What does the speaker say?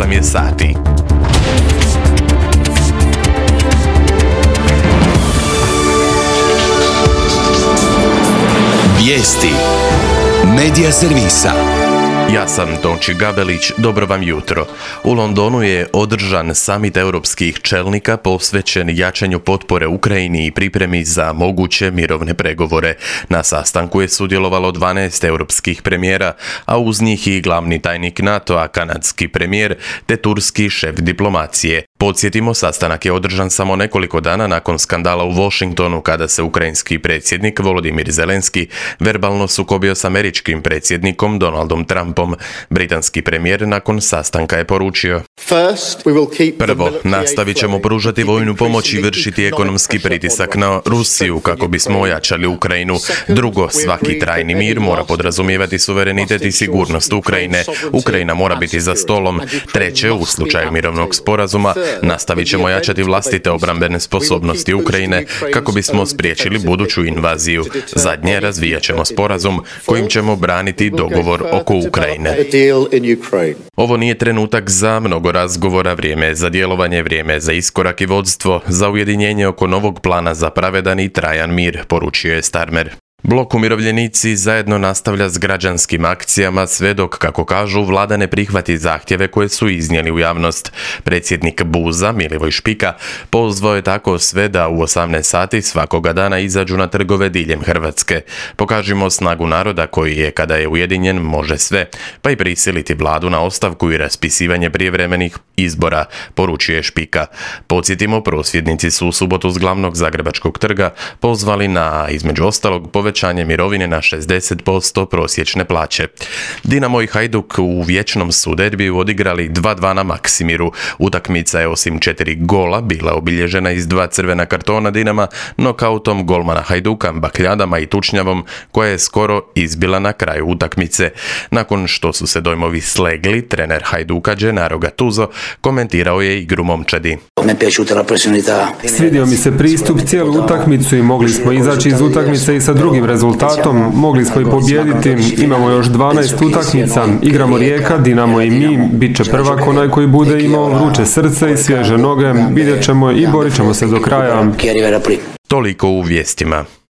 8 je sati. Vijesti Medija servisa. Ja sam Tonči Gabelić, dobro vam jutro. U Londonu je održan samit europskih čelnika posvećen jačanju potpore Ukrajini i pripremi za moguće mirovne pregovore. Na sastanku je sudjelovalo 12 europskih premijera, a uz njih i glavni tajnik NATO-a, kanadski premijer, te turski šef diplomacije. Podsjetimo, sastanak je održan samo nekoliko dana nakon skandala u Washingtonu kada se ukrajinski predsjednik Volodimir Zelenski verbalno sukobio s američkim predsjednikom Donaldom Trumpom. Britanski premijer nakon sastanka je poručio: Prvo, nastavit ćemo pružati vojnu pomoć i vršiti ekonomski pritisak na Rusiju kako bismo ojačali Ukrajinu. Drugo, svaki trajni mir mora podrazumijevati suverenitet i sigurnost Ukrajine. Ukrajina mora biti za stolom. Treće, u slučaju mirovnog sporazuma nastavit ćemo jačati vlastite obrambene sposobnosti Ukrajine kako bismo spriječili buduću invaziju. Zadnje, razvijat ćemo sporazum kojim ćemo braniti dogovor oko Ukrajine. Ovo nije trenutak za mnogo razgovora, vrijeme je za djelovanje, vrijeme je za iskorak i vodstvo, za ujedinjenje oko novog plana za pravedan i trajan mir, poručio je Starmer. Blok Umirovljenici zajedno nastavlja s građanskim akcijama sve dok, kako kažu, vlada ne prihvati zahtjeve koje su iznijeli u javnost. Predsjednik BUZ-a, Milivoj Špika, pozvao je tako sve da u 18 sati svakoga dana izađu na trgove diljem Hrvatske. Pokažimo snagu naroda koji je, kada je ujedinjen, može sve, pa i prisiliti vladu na ostavku i raspisivanje prijevremenih izbora, poručuje Špika. Podsjetimo, prosvjednici su u subotu s glavnog zagrebačkog trga pozvali na, između ostalog, povećanje mirovine na 60% prosječne plaće. Dinamo i Hajduk u vječnom su derbiju odigrali 2:2 na Maksimiru. Utakmica je osim 4 gola bila obilježena iz 2 crvena kartona Dinama, nokautom golmana Hajduka, bakljadama i tučnjavom koja je skoro izbila na kraju utakmice. Nakon što su se dojmovi slegli, trener Hajduka Gennaro Gattuso komentirao je igru momčadi. Svidio mi se pristup cijelu utakmicu i mogli smo izaći iz utakmice i sa drugim rezultatom, mogli smo i pobijediti, imamo još 12 utakmica, igramo Rijeka, Dinamo i mi, bit će prvak onaj koji bude imao vruće srce i svježe noge, vidjet ćemo i borit ćemo se do kraja. Toliko u vijestima.